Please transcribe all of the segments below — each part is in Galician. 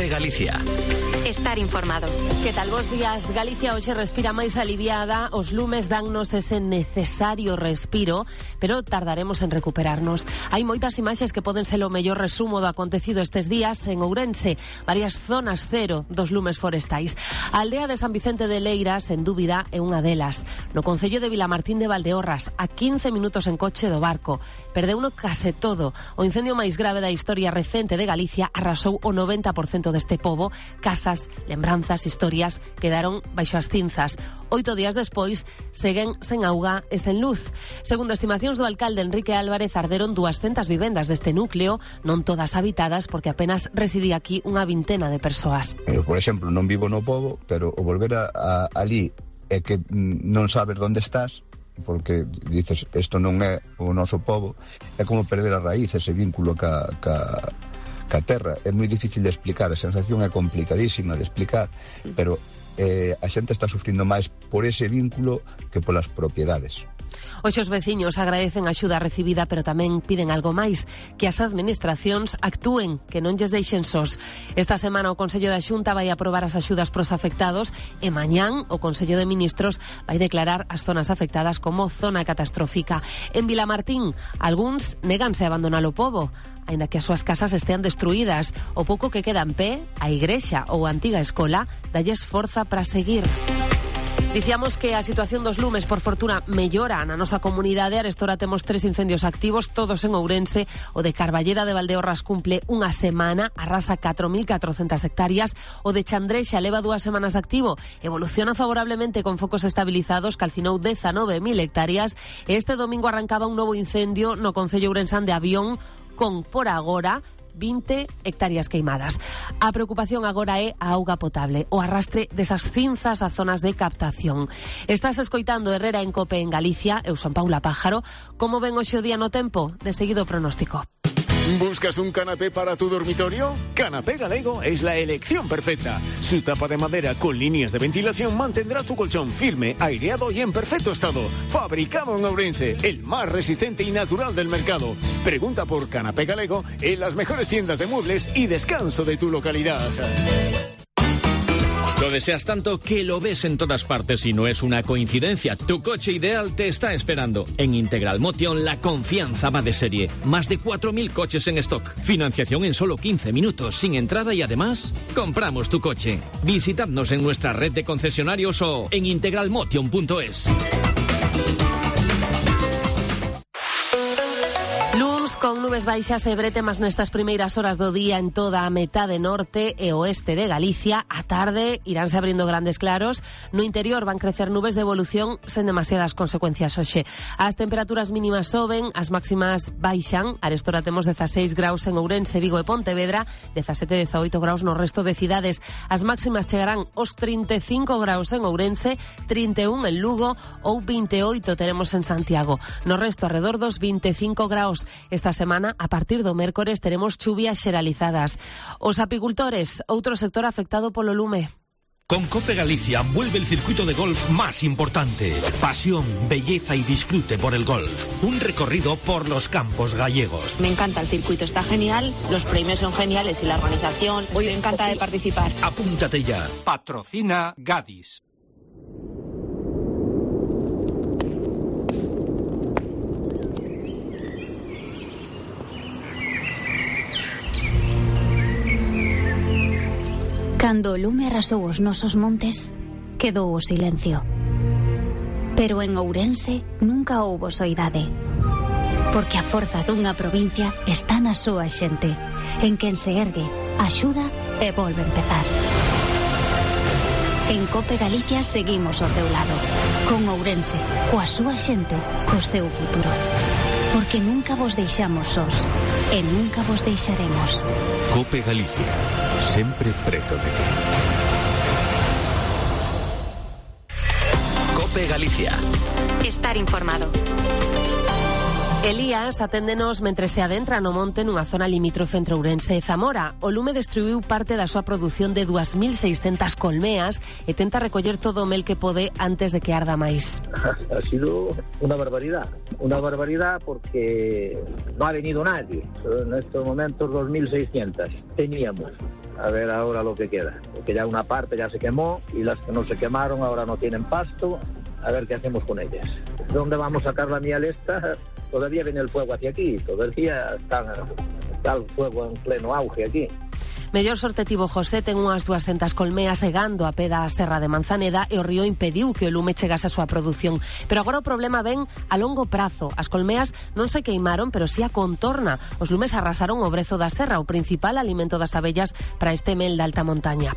Cope Galicia. Estar informado. Que tal, bos días? Galicia hoxe respira máis aliviada, os lumes dannos ese necesario respiro, pero tardaremos en recuperarnos. Hai moitas imaxes que poden ser o mellor resumo do acontecido estes días en Ourense, varias zonas cero dos lumes forestais. A aldea de San Vicente de Leira, sen dúbida, é unha delas. No concello de Vilamartín de Valdeorras, a 15 minutos en coche do barco. Perdeuno case todo. O incendio máis grave da historia recente de Galicia arrasou o 90% deste pobo. Casas, lembranzas, historias quedaron baixo as cinzas. 8 días despois seguen sen auga e sen luz. Segundo estimacións do alcalde Enrique Álvarez, arderon 200 vivendas deste núcleo, non todas habitadas porque apenas residía aquí unha vintena de persoas. Eu, por exemplo, non vivo no pobo, pero o volver ali é que non sabes onde estás, porque dices, isto non é o noso pobo, é como perder a raíz, ese vínculo ca terra. É moi difícil de explicar, a sensación é complicadísima de explicar, pero a xente está sufrindo máis por ese vínculo que polas propiedades. Hoxe os veciños agradecen a axuda recibida, pero tamén piden algo máis, que as administracións actúen, que non lles deixen sós. Esta semana o Consello da Xunta vai aprobar as axudas pros afectados e mañán o Consello de Ministros vai declarar as zonas afectadas como zona catastrófica. En Vilamartín, algúns néganse a abandonar o pobo, aínda que as súas casas estean destruídas. O pouco que queda en pé, a igrexa ou a antiga escola, dalles forza para seguir. Dicíamos que a situación dos lumes, por fortuna, mellora na nosa comunidade. Arestora temos 3 incendios activos, todos en Ourense. O de Carballeda de Valdeorras cumple unha semana, arrasa 4.400 hectáreas. O de Chandrexa leva 2 semanas activo, evoluciona favorablemente con focos estabilizados, calcinou 19.000 hectáreas. Este domingo arrancaba un novo incendio no concello ourensán de Avión, con, por agora, 20 hectáreas queimadas. A preocupación agora é a auga potable, o arrastre desas cinzas a zonas de captación. Estás escoitando Herrera en Cope en Galicia. Eu son Paula Pájaro. Como ven hoxe o día no tempo? De seguido pronóstico. ¿Buscas un canapé para tu dormitorio? Canapé Galego es la elección perfecta. Su tapa de madera con líneas de ventilación mantendrá tu colchón firme, aireado y en perfecto estado. Fabricado en Ourense, el más resistente y natural del mercado. Pregunta por Canapé Galego en las mejores tiendas de muebles y descanso de tu localidad. Lo deseas tanto que lo ves en todas partes y no es una coincidencia. Tu coche ideal te está esperando. En Integral Motion la confianza va de serie. Más de 4.000 coches en stock. Financiación en solo 15 minutos, sin entrada y además, compramos tu coche. Visitadnos en nuestra red de concesionarios o en integralmotion.es. Con nubes baixas e bretemas nestas primeiras horas do día en toda a metade norte e oeste de Galicia. A tarde iránse abrindo grandes claros. No interior van crecer nubes de evolución sen demasiadas consecuencias hoxe. As temperaturas mínimas soben, as máximas baixan. Arestora temos 16 graus en Ourense, Vigo e Pontevedra, 17-18 graus no resto de cidades. As máximas chegarán aos 35 graus en Ourense, 31 en Lugo ou 28 teremos en Santiago. No resto, alrededor dos 25 graus. Esta semana, a partir do mércores, teremos chuvias xeralizadas. Os apicultores, outro sector afectado polo lume. Con Cope Galicia vuelve el circuito de golf más importante. Pasión, belleza y disfrute por el golf. Un recorrido por los campos gallegos. Me encanta el circuito, está genial, los premios son geniales y la organización. Hoy me encanta de participar. Apúntate ya. Patrocina Gadis. Cando o lume arrasou os nosos montes, quedou o silencio. Pero en Ourense nunca houbo soidade. Porque a forza dunha provincia está na súa xente, en quen se ergue, axuda e volve a empezar. En Cope Galicia seguimos ao teu lado, con Ourense, coa súa xente, co seu futuro. Porque nunca vos deixamos sós, e nunca vos deixaremos. Cope Galicia, sempre preto de ti. Cope Galicia. Estar informado. Elías aténdenos mentre se adentra no monte nunha zona limítrofe entre Ourense e Zamora. O lume destruiu parte da súa produción de 2.600 colmeas e tenta recoller todo o mel que pode antes de que arda máis. Ha sido una barbaridad porque no ha venido nadie. En estos momentos 2.600 teníamos. A ver ahora lo que queda, porque ya una parte ya se quemó y las que no se quemaron ahora no tienen pasto. A ver qué hacemos con ellas. ¿Dónde vamos a sacar la miel esta? Todavía viene el fuego hacia aquí, todavía está el fuego en pleno auge aquí. Mellor sorte tivo José, ten unhas 200 colmeas segando a pé da Serra de Manzaneda e o río impediu que o lume chegase a súa produción. Pero agora o problema ven a longo prazo. As colmeas non se queimaron, pero si a contorna. Os lumes arrasaron o brezo da serra, o principal alimento das abellas para este mel da alta montaña.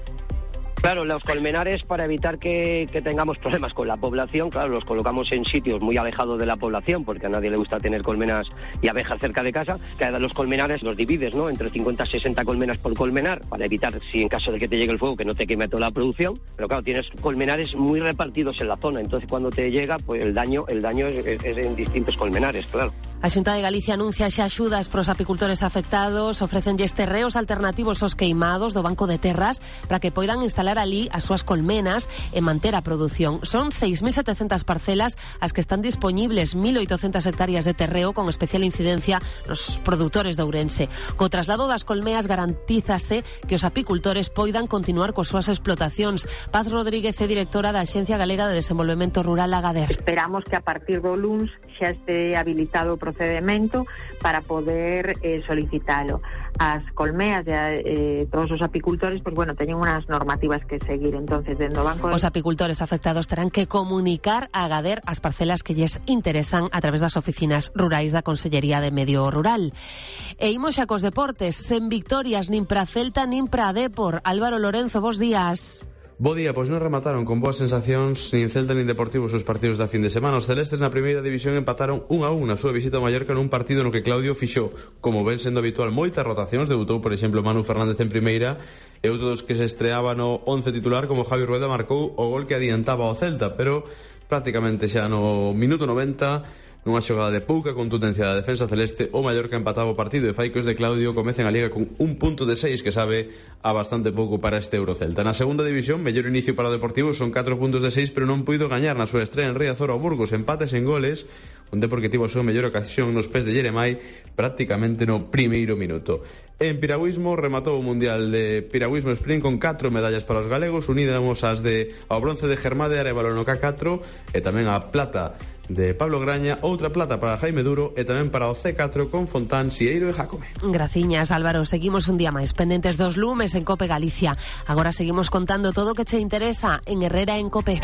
Claro, los colmenares, para evitar que tengamos problemas con la población, claro, los colocamos en sitios muy alejados de la población, porque a nadie le gusta tener colmenas y abejas cerca de casa. Cada los colmenares los divides, ¿no?, entre 50 y 60 colmenas por colmenar, para evitar, si en caso de que te llegue el fuego, que no te queme toda la producción. Pero claro, tienes colmenares muy repartidos en la zona, entonces cuando te llega, pues el daño es en distintos colmenares, claro. A Xunta de Galicia anuncia xa axudas pros apicultores afectados, ofrecenlles terreos alternativos aos queimados do Banco de Terras para que poidan instalar alí as súas colmenas e manter a produción. Son 6.700 parcelas as que están dispoñibles, 1.800 hectáreas de terreo con especial incidencia nos produtores de Ourense. Co traslado das colmeas garantízase que os apicultores poidan continuar coas súas explotacións. Paz Rodríguez é directora da Axencia Galega de Desenvolvemento Rural Agader. Esperamos que a partir do luns xa este habilitado o procedimento para poder solicitalo. As colmeas de todos os apicultores, pues bueno, teñen unas normativas que seguir, entonces dentro do banco... Os apicultores afectados terán que comunicar a Agader as parcelas que lles interesan a través das oficinas rurais da Consellería de Medio Rural. E imos xa cos deportes, sen victorias nin para Celta nin para Depor. Álvaro Lorenzo, bos días. Bo día, pois non remataron con boas sensacións nin Celta nin Deportivo os partidos da fin de semana. Os celestes na primeira división empataron 1-1 na súa visita a Mallorca nun partido no que Claudio fixou, como ven sendo habitual, moitas rotacións. Debutou, por exemplo, Manu Fernández en primeira e outro dos que se estreaba no 11 titular como Javi Rueda marcou o gol que adiantaba ao Celta, pero prácticamente xa no minuto 90, nunha xogada de pouca contundencia da defensa celeste, o Mallorca empataba o partido e fai que os de Claudio comecen a Liga con un punto de 6 que sabe a bastante pouco para este Eurocelta. Na segunda división, mellor inicio para o Deportivo, son 4 puntos de 6, pero non puido gañar na súa estrea en Riazor ao Burgos, empates en goles, un Depor que tivo a súa mellor ocasión nos pés de Jeremai prácticamente no primeiro minuto. En piragüismo, rematou o Mundial de Piragüismo Sprint con 4 medallas para os galegos, unidas as ao bronce de Germade Arevalo no K4 e tamén a plata de Pablo Graña, outra plata para Jaime Duro e tamén para o C4 con Fontán, Sieiro e Jácome. Graciñas, Álvaro. Seguimos un día máis pendentes dos lumes en Cope Galicia. Agora seguimos contando todo o que che interesa en Herrera en Cope.